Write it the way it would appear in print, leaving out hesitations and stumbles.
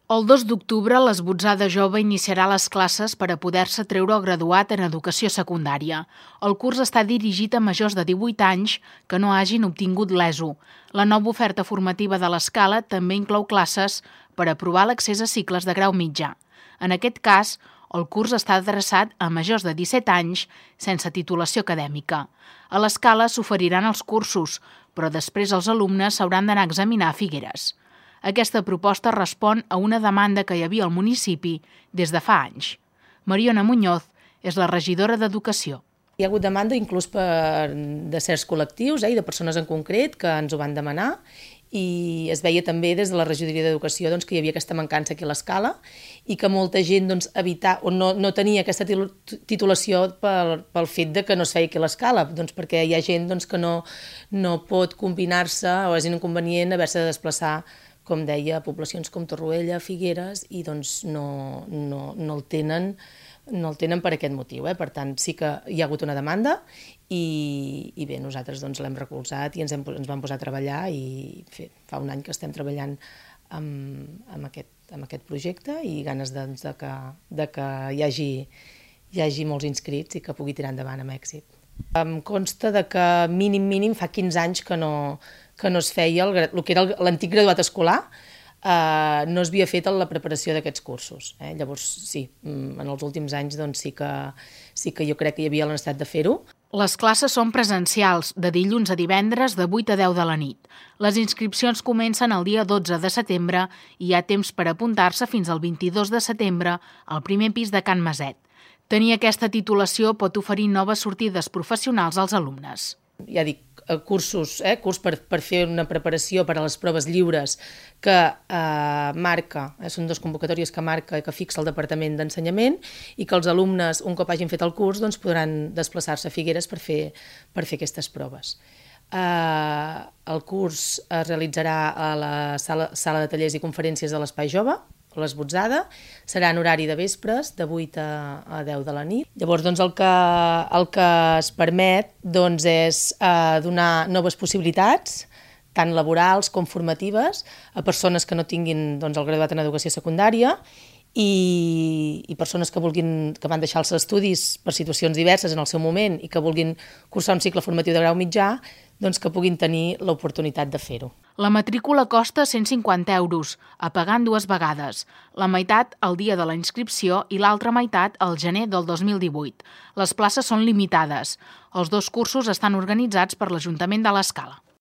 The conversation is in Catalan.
El 2 d'octubre, l'Esbotzada Jove iniciarà les classes per a poder-se treure el graduat en educació secundària. El curs està dirigit a majors de 18 anys que no hagin obtingut l'ESO. La nova oferta formativa de l'escala també inclou classes per aprovar l'accés a cicles de grau mitjà. En aquest cas, el curs està adreçat a majors de 17 anys sense titulació acadèmica. A l'escala s'oferiran els cursos, però després els alumnes s'hauran d'anar a examinar a Figueres. Aquesta proposta respon a una demanda que hi havia al municipi des de fa anys. Mariona Muñoz és la regidora d'Educació. Hi ha hagut demanda inclús de certs col·lectius i de persones en concret que ens ho van demanar, i es veia també des de la regidoria d'Educació que hi havia aquesta mancança aquí a l'escala i que molta gent no tenia aquesta titulació pel fet de que no es feia aquí a l'escala, perquè hi ha gent que no pot combinar-se o és inconvenient haver-se de desplaçar, com deia, a poblacions com Torroella, Figueres, i no el tenen per aquest motiu. Per tant, sí que hi ha hagut una demanda i bé, nosaltres l'hem recolzat i ens vam posar a treballar i fa un any que estem treballant amb aquest projecte i ganes de que hi hagi molts inscrits i que pugui tirar endavant amb èxit. Em consta que mínim fa 15 anys que no es feia el que era l'antic graduat escolar, no es havia fet la preparació d'aquests cursos. Llavors, sí, en els últims anys sí que jo crec que hi havia la necessitat de fer-ho. Les classes són presencials, de dilluns a divendres de 8 a 10 de la nit. Les inscripcions comencen el dia 12 de setembre i hi ha temps per apuntar-se fins al 22 de setembre al primer pis de Can Maset. Tenir aquesta titulació pot oferir noves sortides professionals als alumnes. Ja dic, curs per fer una preparació per a les proves lliures que marca, són dues convocatòries que fixa el Departament d'Ensenyament i que els alumnes, un cop hagin fet el curs, podran desplaçar-se a Figueres per fer aquestes proves. El curs es realitzarà a la sala de tallers i conferències de l'Espai Jove, l'Esbotzada, serà en horari de vespres, de 8 a 10 de la nit. Llavors, el que es permet és donar noves possibilitats, tant laborals com formatives, a persones que no tinguin el graduat en educació secundària i persones que van deixar els estudis per situacions diverses en el seu moment i que vulguin cursar un cicle formatiu de grau mitjà, que puguin tenir l'oportunitat de fer-ho. La matrícula costa 150 €, a pagar en 2 vegades, la meitat el dia de la inscripció i l'altra meitat al gener del 2018. Les places són limitades. Els 2 cursos estan organitzats per l'Ajuntament de l'Escala.